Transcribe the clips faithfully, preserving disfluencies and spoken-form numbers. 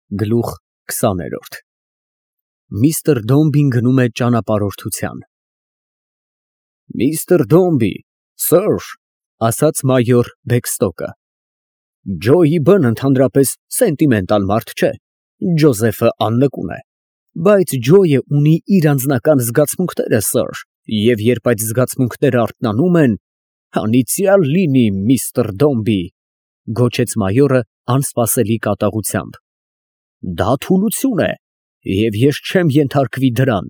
Գլուխ քսաներորդ Միստր Դոմբին գնում է ճանապարհորդության։ Միստր Դոմբի, սըր, ասաց մայոր Բեքստոկը, Ջոյի բն ընդհանրապես սենտիմենտալ մարդ չէ, Ջոզեֆը աննկուն է, բայց Ջոյը ունի իր անձնական զգացմունքները, սըր, և երբ այդ զգացմունքները արթնանում են, անիծյալ լինի միստր Դոմբի, գոչեց մայորը անսպասելի կատաղությամբ, դա թուլություն է, և ես չեմ ենթարկվի դրան։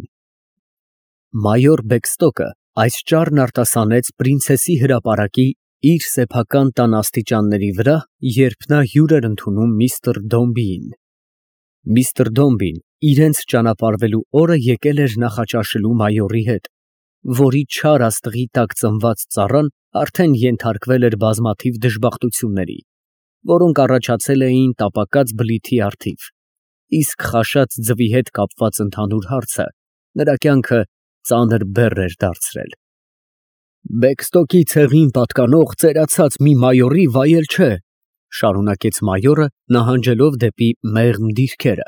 Մայոր Բեքստոկը այս ճառն արտասանեց պրինցեսի հրապարակի իր սեփական տան աստիճանների վրա, երբ նա հյուր էր ընդունում միստր Դոմբիին։ Միստր Դոմբին իրենց ճանապարհվելու օրը եկել էր նախաճաշելու մայորի հետ, որի չար աստղի տակ ծնված ծառան արդեն ենթարկվել էր բազմաթիվ դժբախտությունների, որոնք առաջացել էին տապակած բլիթի առթիվ, իսկ խաշած ձվի հետ կապված ընդհանուր հարցը նրա կյանքը ծանր բեռ էր դարձրել։ Բեքստոկի ցեղին պատկանող ծերացած մի մայորի վայել չէ, շարունակեց մայորը, նահանջելով դեպի մեղմ դիրքերը,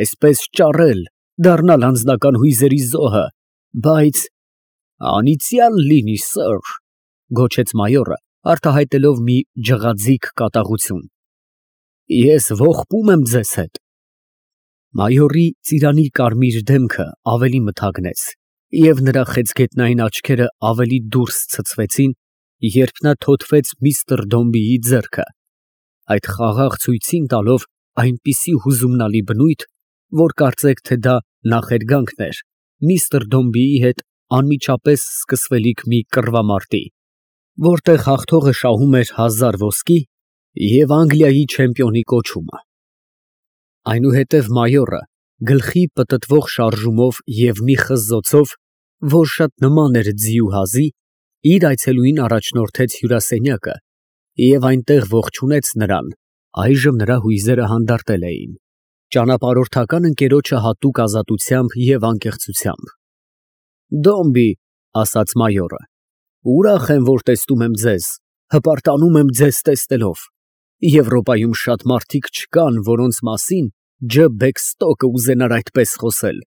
այսպես ճառել, դառնալ անձնական հույզերի զոհը, բայց անիծյալ լինի, սըր, գոչեց մայորը, արտահայտելով մի ջղաձիգ կատաղություն, ես ողբում եմ ձեզ հետ։ Մայորի ծիրանի կարմիր դեմքը ավելի մթագնեց, և նրա խեցգետնային աչքերը ավելի դուրս ցցվեցին, երբ նա թոթվեց միստր Դոմբիի ձեռքը, այդ խաղաղ ցույցին տալով այնպիսի հուզումնալի բնույթ, որ կարծեք, թե դա նախերգանքն էր միստր Դոմբիի հետ անմիջապես սկսվելիք մի կռվամարտի, որտեղ հաղթողը շահում էր հազար ոսկի և Անգլիայի չեմպիոնի կոչումը։ Այնուհետև մայորը գլխի պտտվող շարժումով և մի խզզոցով, որ շատ նման էր ձիու հազի, իր այցելուին առաջնորդեց հյուրասենյակը և այնտեղ ողջունեց նրան, այժմ նրա հույզերը հանդարտել էին, ճանապարհորդական ընկերոջը հատուկ ազատությամբ և անկեղծությամբ։ Դոմբի, ասաց մայորը, ուրախ եմ, որ տեսնում եմ ձեզ, հպարտանում եմ ձեզ տեսնելով, Եվրոպայում շատ մարդիկ չկան, որոնց մասին Ջ. Բեքստոկը ուզենար այդպես խոսել,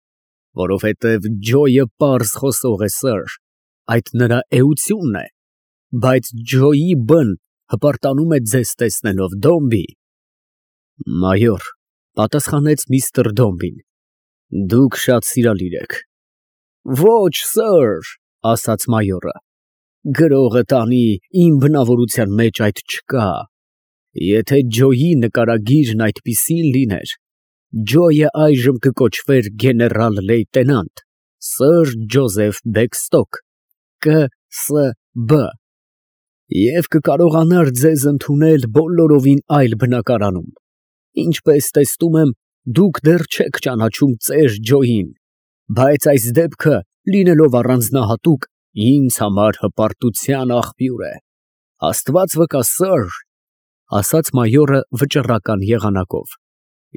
որովհետև Ջոյը պարզ խոսող է, սըր, այդ նրա էությունն է, բայց Ջոյի բն հպարտանում է ձեզ տեսնելով, Դոմբի։ Մայոր, պատասխանեց միստր Դոմբին, դուք շատ սիրալիր եք։ Ոչ, սըր, ասաց մայորը, գրողը տանի, իմ բնավորության մեջ այդ չկա, եթե Ջոյի նկարագիրն այդպիսին լիներ, Ջոյը այժմ կկոչվեր գեներալ լեյտենանտ, սըր Ջոզեֆ Բեքստոկ, Կ Ս B, և կկարողանար ձեզ ընդունել բոլորովին այլ բնակարանում, ինչպես տեսնում եմ, դուք դեռ չեք ճանաչում ծեր Ջոյին, բայց այս դեպքը, լինելով առանձնահատուկ, ինձ համար հպարտության աղբյուր է, Աստված վկա, սըր, ասաց մայորը վճռական եղանակով,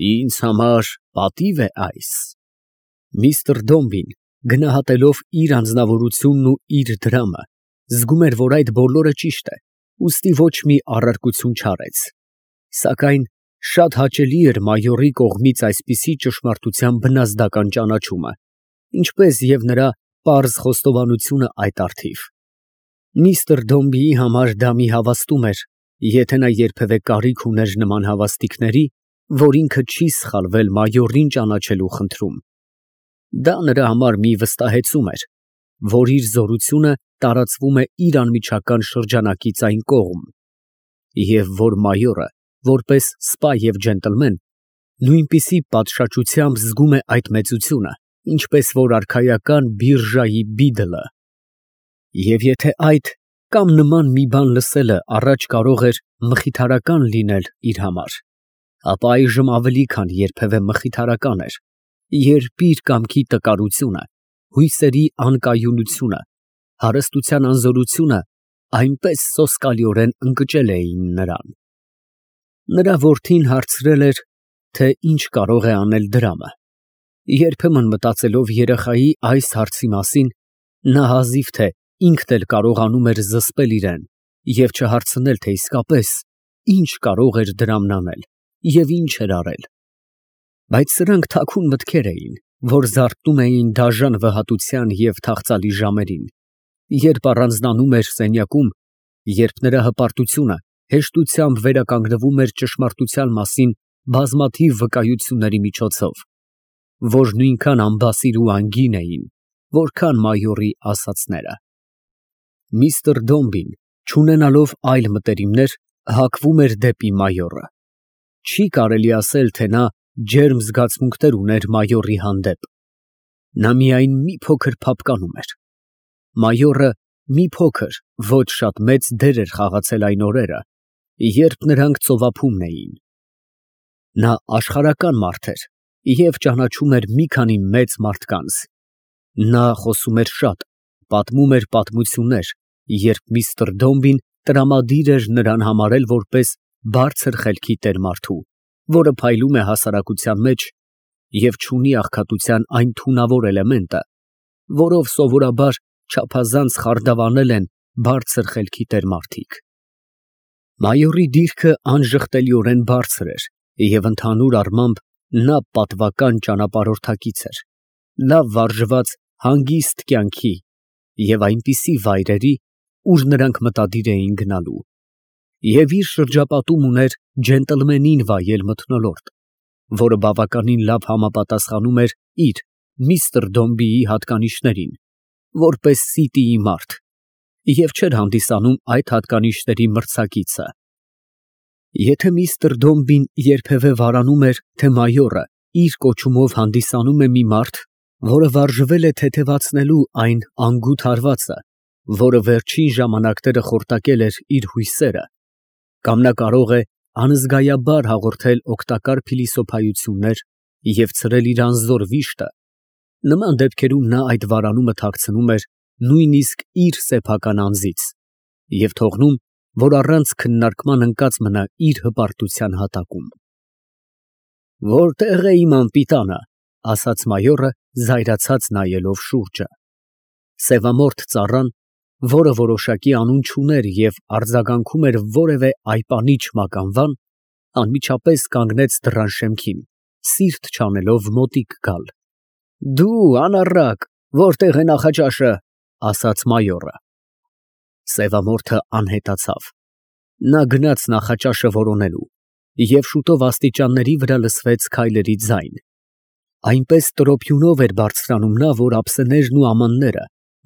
ինձ համար պատիվ է այս։ Միստր Դոմբին, գնահատելով իր անձնավորությունն ու իր դրամը, զգում էր, որ այդ բոլորը ճիշտ է, ուստի ոչ մի առարկություն չարեց, սակայն շատ հաճելի էր մայորի կողմից այսպիսի ճշմարտության բնազդական ճանաչումը, ինչպես և նրա պարզ խոստովանությունը այդ առթիվ։ Միստր Դոմբիի համար դա մի հավաստում էր, եթե նա երբևէ կարիք ուներ նման հավաստիքների, որ ինքը չի սխալվել մայորին ճանաչելու խնդրում։ Դա նրա համար մի վստահեցում էր, որ իր զորությունը տարածվում է իր անմիջական շրջանակից այն կողմ, և որ մայորը, որպես սպա և ջենտլմեն, նույնպիսի պատշաճությամբ զգում է այդ մեծությունը, ինչպես որ արքայական բիրժայի բիդլը։ Եվ եթե այդ կամ նման մի բան լսելը առաջ կարող էր մխիթարական լինել իր համար, ապա այժմ ավելի քան երբևէ մխիթարական էր, երբ իր կամքի տկարությունը, հույսերի անկայունությունը, հարստության անզորությունը այնպես սոսկալիորեն ընկճել էին նրան։ Նրա որդին հարցրել էր, թե ինչ կարող է անել դրամը։ Երբեմն մտածելով երեխայի այս հարցի մասին, նա հազիվ թե ինքն էլ կարողանում էր զսպել իրեն և չհարցնել, թե իսկապես ինչ կարող էր դրամն անել և ինչ էր արել, Բայց սրանք թաքուն մտքեր էին, որ զարթնում էին դաժան վհատության և թախծալի ժամերին, երբ առանձնանում էր սենյակում, երբ նրա հպարտությունը հեշտությամբ վերականգնվում էր ճշմարտության մասին բազմաթիվ վկայությունների միջոցով, որ նույնքան անբասիր ու անգին էին, որքան մայորի ասածները։ Միստր Դոմբին, չունենալով այլ մտերիմներ, հակվում էր դեպի մայորը։ Չի կարելի ասել, թե նա ջերմ զգացմունքներ ուներ մայորի հանդեպ։ Նա միայն մի փոքր փափկանում էր։ Մայորը մի փոքր, ոչ շատ մեծ դեր էր խաղացել այն օրերը, երբ նրանք ծովափումն էին։ Նա աշխարհական մարդ էր և ճանաչում էր մի քանի մեծ մարդկանց։ Նա խոսում էր շատ, պատմում էր պատմություններ, երբ միստր Դոմբին տրամադիր էր նրան համարել որպես բարձր խելքի տեր մարդու, որը փայլում է հասարակության մեջ և չունի աղքատության այն թունավոր էլեմենտը, որով սովորաբար չափազանց խարդավանել են բարձր խելքի տեր մարդիկ։ Մայորի դիրքը անժխտելիորեն բարձր էր և ընդհանուր առմամբ նա պատվական ճանապարհորդակից էր, լավ վարժված հանգիստ կյանքի և այնպիսի վայրերի, ուր նրանք մտադիր էին գնալու, և իր շրջապատում ուներ ջենտլմենին վայել մթնոլորտ, որը բավականին լավ համապատասխանում էր իր՝ միստր Դոմբիի հատկանիշներին, որպես սիտիի մարդ, և չէր հանդիսանում այդ հատկանիշների մրցակիցը։ Եթե միստր Դոմբին երբևէ վարանում էր, թե մայորը իր կոչումով հանդիսանում է մի մարդ, որը վարժվել է թեթևացնելու այն անգութ հարվածը, որը վերջին ժամանակները խորտակել էր իր հույսերը, կամ նա կարող է անզգայաբար հաղորդել օգտակար փիլիսոփայություններ և ցրել իր անզոր վիշտը, նման դեպքերում նա այդ վարանումը թաքցնում էր նույնիսկ իր սեփական անձից և թողնում, որ առանց քննարկման ընկած մնա իր հպարտության հատակում։ «Որտե՞ղ է իմ անպիտանը», ֊ ասաց մայորը, զայրացած նայելով շուրջը։ Սևամորթ ծառան, որը որոշակի անուն չուներ և արձագանքում էր որևէ այպանիչ մականվան, անմիջապես կանգնեց դռան շեմքին, սիրտ չանելով մոտիկ գալ։ ֊ Դու, անառակ, որտե՞ղ է նախաճաշը, ֊ ասաց մայորը։ Սևամորթը անհետացավ։ Նա գնաց նախաճաշը որոնելու, և շուտով աստիճանների վրա լսվեց քայլերի ձայն։ Այնպես տրոփյունով էր բարձրանում նա, որ ափսեներն ու ամանները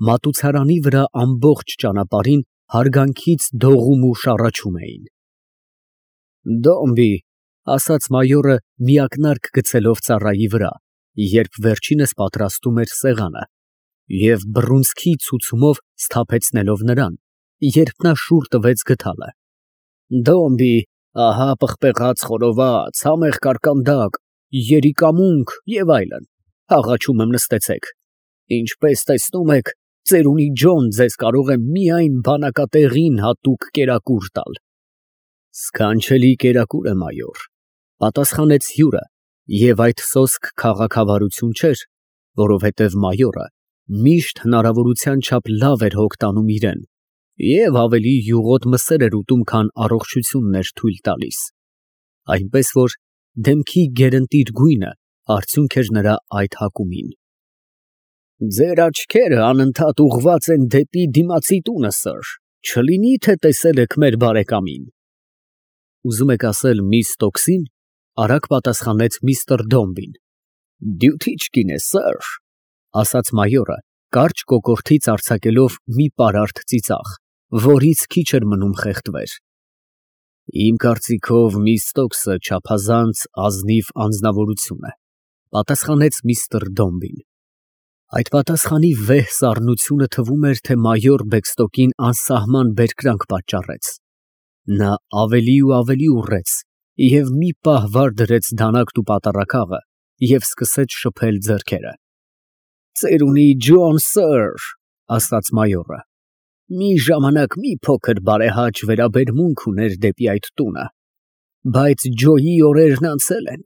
մատուցարանի վրա ամբողջ ճանապարհին հարգանքից դողում ու շառաչում էին։ «Դոմբի», ֊ ասաց մայորը, միակնարկ գցելով ծառայի վրա, երբ վերջինս պատրաստում էր սեղանը, և բռունցքի ցուցումով սթափեցնելով նրան, երբ նա շուռ տվեց գդալը։ «Դոմբի, ահա պղպեղած խորոված, համեղ կարկանդակ, երիկամունք և այլն, աղաչում եմ նստեցեք։ Ինչպես տեսնում եք, ծերունի ջոն ձեզ կարող է միայն բանակատեղին հատուկ կերակուր տալ»։ «Սքանչելի կերակուր է, մայոր», ֊ պատասխանեց հյուրը, և այդ սոսկ քաղաքավարություն չէր, որովհետև մայորը միշտ հնարավորության չափ լավ էր հոգ տանում իրան և ավելի յուղոտ մսեր էր ուտում, քան առողջությունն էր թույլ տալիս, այնպես որ դեմքի գերընտիր գույնը արդյունք էր նրա այդ հակումին։ «Ձեր աչքերը անընդհատ ուղղված են դեպի դիմացի տունը, սըր, չլինի թե տեսել եք մեր բարեկամին»։ «Ուզում եք ասել միս Տոքսի՞ն», ֊ արագ պատասխանեց միստր Դոմբին։ «Դյութիչ կին է, սըր», ֊ ասաց մայորը, կարճ կոկորդից արձակելով մի պարարտ ծիծաղ, որից քիչ էր մնում խեղդվեր։ «Իմ կարծիքով միս Տոքսը չափազանց ազնիվ անձնավորություն է», ֊ պատասխանեց միստր Դոմբին։ Այդ պատասխանի վեհ սառնությունը թվում էր, թե մայոր Բեքստոկին անսահման բերկրանք պատճառեց։ Նա ավելի ու ավելի ուռեց և մի պահ վար դրեց դանակն ու պատառաքաղը և սկսեց շփել ձեռքերը։ «Ծերունի ջոն, սըր, ֊ ասաց մայորը, ֊ մի ժամանակ մի փոքր բարեհաճ վերաբերմունք ուներ դեպի այդ տունը, բայց Ջոյի օրերն անցել են։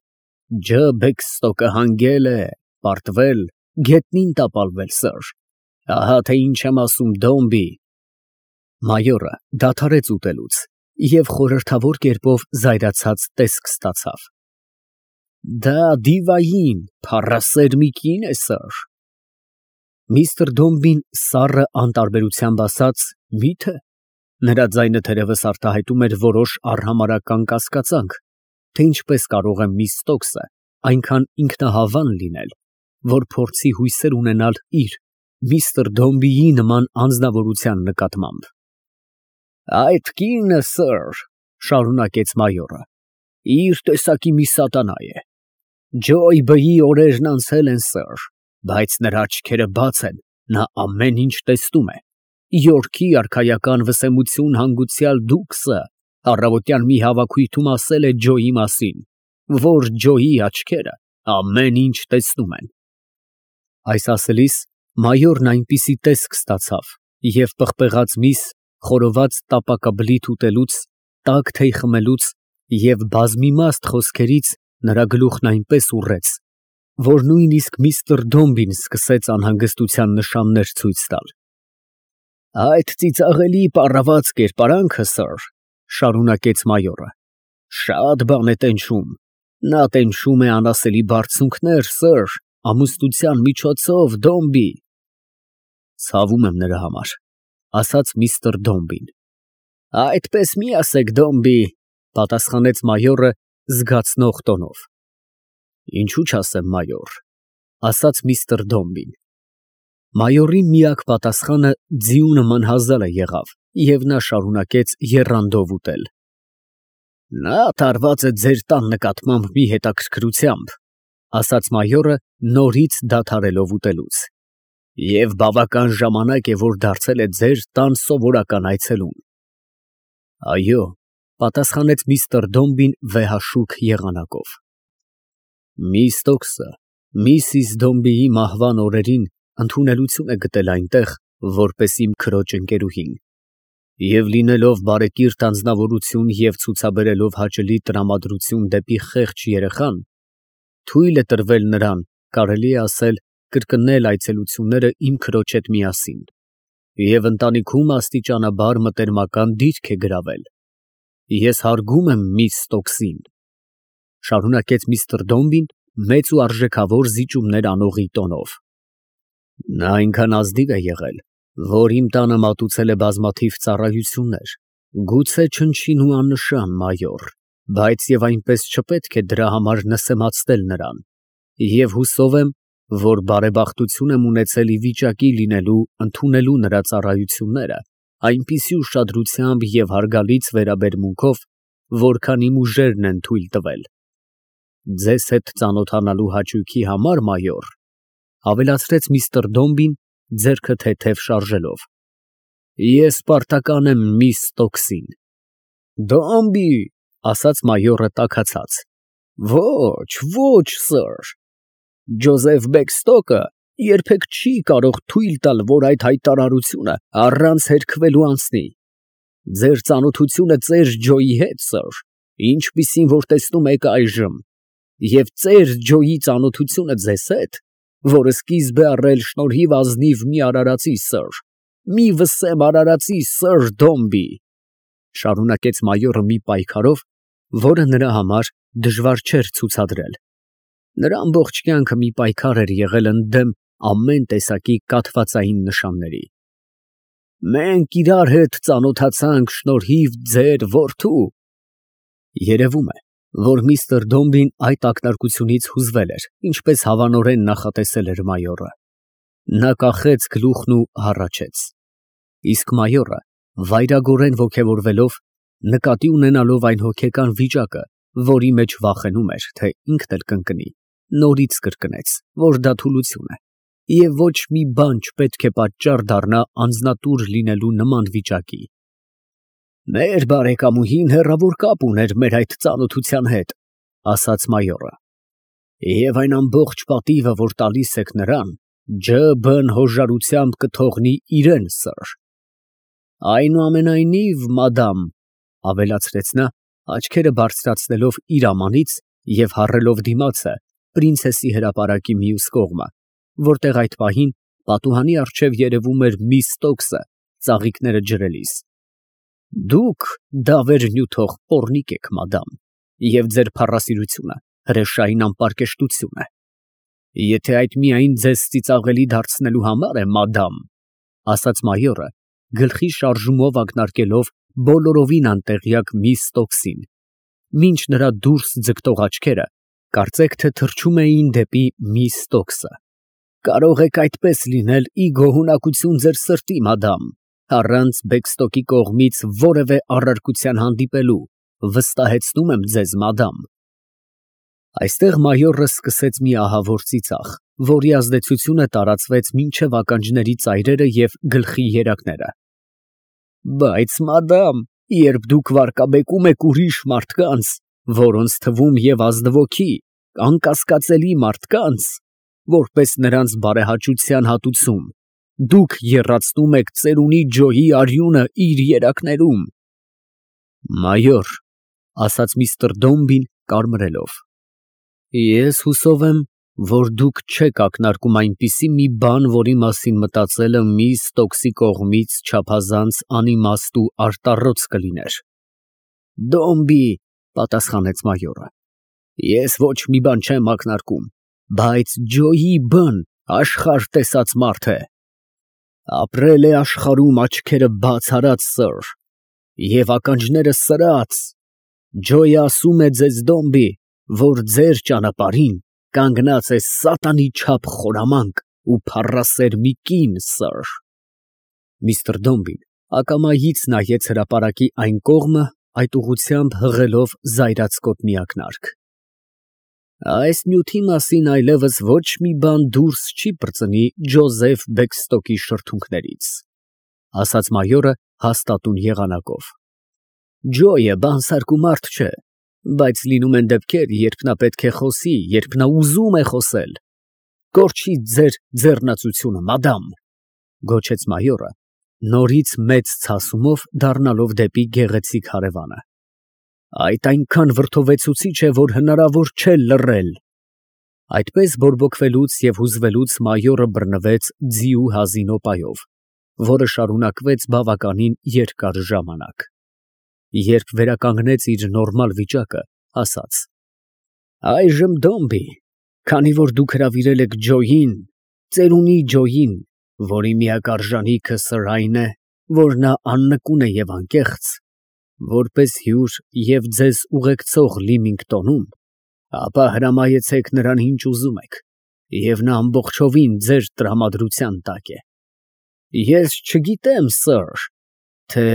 Ջ. Բեքստոկը հանգել է, պարտվել, գետնին տապալվել, սըր, ահա թե ինչ եմ ասում, Դոմբի»։ Մայորը դադարեց ուտելուց և խորհրդավոր կերպով զայրացած տեսք ստացավ։ Դա դիվային, փառասեր մի կին է, սըր։ Միստր Դոմբին սառը անտարբերությամբ ասաց. Մի՞թե։ Նրա ձայնը թերևս արտահայտում էր որոշ արհամարհական կասկածանք, թե ինչպես կարող է միս Ստոքսը այնքան ինքնահավան լինել, որ փորձի հույսեր ունենալ իր՝ միստր Դոմբիի նման անձնավորության նկատմամբ։ Այդ կինը, սըր, շարունակեց մայորը, իր տեսակի մի սատանա է։ Ջոյբըի օրերն անցել են, սըր, բայց նրա աչքերը բաց են, նա ամեն ինչ տեսնում է։ Յորքի արքայական վսեմություն հանգուցյալ Դուքսը առավոտյան մի հավաքույթում ասել է Ջոյի մասին, որ Ջոյի աչքերը ամեն ինչ տեսնում են։ Այս ասելիս մայորն այնպիսի տեսք ստացավ և պղպեղած միս, խորոված տապակաբլիթ ուտելուց, տաք թեյ խմելուց և բազմիմաստ խոսքերից նրա գլուխն այնպես ուռեց, որ նույնիսկ միստր Դոմբին սկսեց անհանգստության նշաններ ցույց տալ։ Այդ ծիծաղելի պառաված կերպարանքը, սըր, շարունակեց մայորը, շատ բան է տենչում, նա տենչում է անասելի բարձունքներ, սըր, ամուսնության միջոցով, Դոմբի։ Ցավում եմ նրա համար, ասաց միստր Դոմբին։ Այդպես մի ասեք, Դոմբի, պատասխանեց մայորը զգացնող տոնով։ Ինչու չասեմ, մայոր, ասաց միստր Դոմբին։ Մայորի միակ պատասխանը ձիու նման հազալ եղավ, և նա շարունակեց եռանդով ուտել։ Նա տարված է ձեր տան նկատմամբ մի հետաքրքրությամբ, ասաց մայորը նորից դադարելով ուտելուց, և բավական ժամանակ է, որ դարձել է ձեր տան սովորական այցելուն։ Այո, պատասխանեց միստր Դոմբին վեհաշուք եղանակով։ Միս Ստոքսը միսիս Դոմբիի մահվան օրերին ընդունելություն է գտել այնտեղ, որպես իմ քրոջ ընկերուհին, և լինելով բարեկիրթ անձնավորություն և ցուցաբերելով հաճելի տրամադրություն դեպի խեղճ երեխան, թույլ է տրվել նրան, կարելի է ասել, կրկնել այցելությունները իմ քրոջ հետ միասին, և ընտանիքում աստիճանաբար մտերմական դիրք է գրավել։ Ես հարգում եմ միս Ստոքսին, շարունակեց միստր Դոմբին մեծ ու արժեքավոր զիջումներ անողի տոնով։ Նա այնքան ազնիվ է եղել, որ իմ տանը մատուցել է բազմաթիվ ծառայություններ, գուցե չնչին ու աննշան, մայոր, բայց և այնպես չպետք է դրա համար նսեմացնել նրան, և հուսով եմ, որ բարեբախտություն եմ ունեցել ի վիճակի լինելու ընդունելու նրա ծառայությունները այնպիսի ուշադրությամբ և հարգալից վերաբերմունքով, որքան իմ ուժերն են թույլ տվել։ Ձեզ հետ ծանոթանալու հաճույքի համար, մայոր, ավելացրեց միստր Դոմբին, ձեռքը թեթև շարժելով, ես պարտական եմ միս Ստոքսին։ Դոմբի, ասաց մայորը տաքացած, ոչ, ոչ, սըր, Ջոզեֆ Բեքստոկը երբեք չի կարող թույլ տալ, որ այդ հայտարարությունը առանց հերքվելու անցնի։ Ձեր ծանոթությունը ծեր Ջոյի հետ, սըր, ինչպիսին որ տեսնում եք այժմ, և ծեր Ջոյի ծանոթությունը ձեզ հետ, որը սկիզբ է առել շնորհիվ ազնիվ մի արարածի, սըր, մի վսեմ արարածի, սըր Դոմբի, շարունակեց մայորը մի պայքարով, որը նրա համար դժվար չէր ցուցադրել։ Նրա ամբողջ կյանքը մի պայքար էր եղել ընդդեմ ամեն տեսակի կաթվածային նշանների։ Մենք իրար հետ ծանոթացանք շնորհիվ ձեր որդու։ Երևում է, որ միստր Դոմբին այդ ակնարկությունից հուզվել էր, ինչպես հավանորեն նախատեսել էր մայորը։ Նա կախեց գլուխն ու հառաչեց։ Իսկ մայորը, վայրագորեն ոգևորվելով, նկատի ունենալով այն հոգեկան վիճակը, որի մեջ վախենում էր, թե ինքն էլ կընկնի, նորից կրկնեց, որ դա թուլություն է, և ոչ մի բան չպետք է պատճառ դառնա անձնատուր լինելու նման վիճակի։ Մեր բարեկամուհին հեռավոր կապ ուներ մեր այդ ծանոթության հետ, ասաց մայորը, և այն ամբողջ պատիվը, որ տալիս եք նրան, ջը.բ հոժարությամբ կթողնի իրեն, սըր։ Այնուամենայնիվ, մադամ, ավելացրեց նա, աչքերը բարձրացնելով իր ամանից և հառելով դիմացը պրինցեսի հրապարակի մյուս կողմը, որտեղ այդ պահին պատուհանի առջև երևում էր միս Ստոքսը ծաղիկները ջրելիս, դուք դավեր նյութող պոռնիկ եք, մադամ, և ձեր փառասիրությունը հրեշային անպարկեշտություն է։ Եթե այդ միայն ձեզ ծիծաղելի դարձնելու համար է, մադամ, ասաց մայորը, գլխի շարժումով ակնարկելով բոլորովին անտեղյակ միս Ստոքսին, մինչ նրա դուրս ձգտող աչքերը կարծեք թե թռչում էին դեպի միս Ստոքսը։ Կարող եք այդպես լինել ի գոհունակություն ձեր սրտի, մադամ, առանց Բեքստոկի կողմից որևէ առարկության հանդիպելու, վստահեցնում եմ ձեզ, մադամ։ Այստեղ մայորը սկսեց մի ահավոր ծիծաղ, որի ազդեցությունը տարածվեց մինչև ականջների ծայրերը և գլխի երակները։ Բայց, մադամ, երբ դուք վարկաբեկում եք ուրիշ մարդկանց, որոնց թվում և ազնվոքի, անկասկածելի մարդկանց, որպես նրանց բարեհաճության հատուցում, դուք եռացնում եք ծերունի Ջոյի արյունը իր երակներում։ Մայոր, ասաց միստր Դոմբին կարմրելով, ես հուսով եմ, որ դուք չեք ակնարկում այնպիսի մի բան, որի մասին մտածելը միս Ստոքսի կողմից չափազանց անիմաստ ու արտառոց կլիներ։ Դոմբի, պատասխանեց մայորը, ես ոչ մի բան չեմ ակնարկում, բայց Ջոյի Բ-ն աշխարհ տեսած մարդ է, ապրել է աշխարհում աչքերը բաց արած, սըր, և ականջները սրած։ Ջոյը ասում է ձեզ, Դոմբի, որ ձեր ճանապարհին կանգնած է սատանի չափ խորամանկ ու փառասեր մի կին, սըր։ Միստր Դոմբին ակամայից նայեց հրապարակի այն կողմը, այդ ուղղությամբ հղելով զայրացկոտ մի ակնարկ։ Այս նյութի մասին այլևս ոչ մի բան դուրս չի պրծնի Ջոզեֆ Բեքստոկի շրթունքներից, ասաց մայորը հաստատուն եղանակով։ Ջոյը բանսարկու մարդ չէ, բայց լինում են դեպքեր, երբ նա պետք է խոսի, երբ նա ուզում է խոսել։ Կորչի ձեր ձեռնացությունը, մադամ, գոչեց մայորը, նորից մեծ ցասումով դառնալով դեպի գեղեցիկ հարևանը։ Այդ այնքան վրդովեցուցիչ է, որ հնարավոր չէ լռել։ Այդպես բորբոքվելուց և հուզվելուց մայորը բռնվեց ձիու հազինոպայով, որը շարունակվեց բավականին երկար ժամանակ։ Երբ վերականգնեց իր նորմալ վիճակը, ասաց. Այժմ, Դոմբի, քանի որ դուք հրավիրել եք Ջոյին, ծերունի Ջոյին, որի միակ արժանիքը սրային է, որ նա աննկուն է և անկեղծ, որպես հյուր և ձեզ ուղեկցող Լիմինգտոնում, ապա հրամայեցեք նրան ինչ ուզում եք, և նա ամբողջովին ձեր տրամադրության տակ է։ Ես չգիտեմ, սըր, թե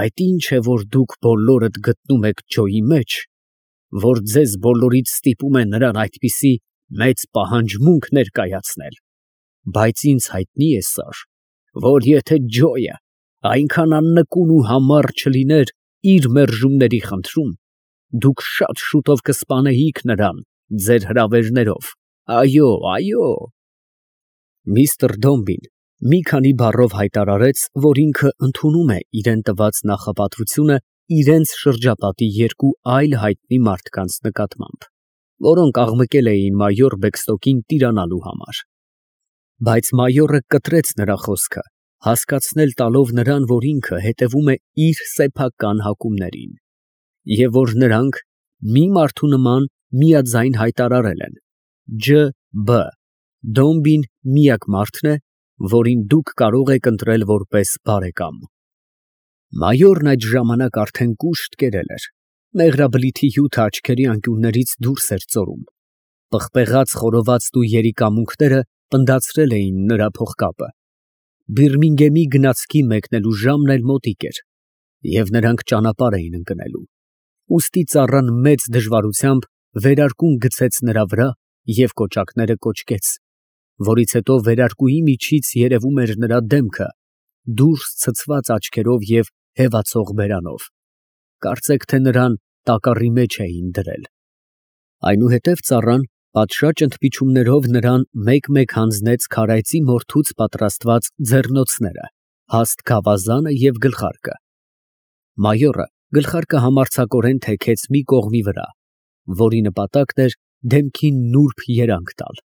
այդ ինչ է, որ դուք բոլորդ գտնում եք Ջոյի մեջ, որ ձեզ բոլորիդ ստիպում է նրան այդպիսի մեծ պահանջմունք ներկայացնել, բայց ինձ հայտնի է, սըր, որ եթե Ջոյը այնքան աննկուն ու համառ չլիներ իր մերժումների խնդրում, դուք շատ շուտով կսպանեիք նրան ձեր հրավերներով, այո, այո։ Միստր Դոմբին մի քանի բառով հայտարարեց, որ ինքը ընդունում է իրան տված նախապատվությունը իրենց շրջապատի երկու այլ հայտնի մարդկանց նկատմամբ, որոնք աղմկել էին մայոր Բեքստոկին տիրանալու համար։ Բայց մայորը կտրեց նրա խոսքը, հասկացնել տալով նրան, որ ինքը հետևում է իր սեփական հակումներին, և որ նրանք մի մարդու նման միաձայն հայտարարել են. Ջ. Բ. Դոմբին միակ մարդն է, որին դուք կարող եք ընտրել որպես բարեկամ։ Մայորն այդ ժամանակ արդեն կուշտ կերել էր, մեղրաբլիթի հյութը աչքերի անկյուններից դուրս էր ծորում, պղպեղած խորովածտ ու երիկամունքները պնդացրել էին նրա փողկապը, Բիրմինգեմի գնացքի մեկնելու ժամն էլ մոտիկ էր, և նրանք ճանապարհ էին ընկնելու, ուստի ծառան մեծ դժվարությամբ վերարկուն գցեց նրա վրա և կոճակները կոճկեց, որից հետո վերարկուի միջից երևում էր նրա դեմքը, դուրս ցցված աչքերով և հևացող բերանով, կարծեք թե նրան տակառի մեջ էին դրել։ Այնուհետև ծառան պատշաճ ընդմիջումներով նրան մեկ֊մեկ հանձնեց քարայծի մորթուց պատրաստված ձեռնոցները, հաստ գավազանը և գլխարկը։ Մայորը գլխարկը համարձակորեն թեքեց մի կողմի վրա, որի նպատակն էր դեմքին նուրբ երանգ տալ։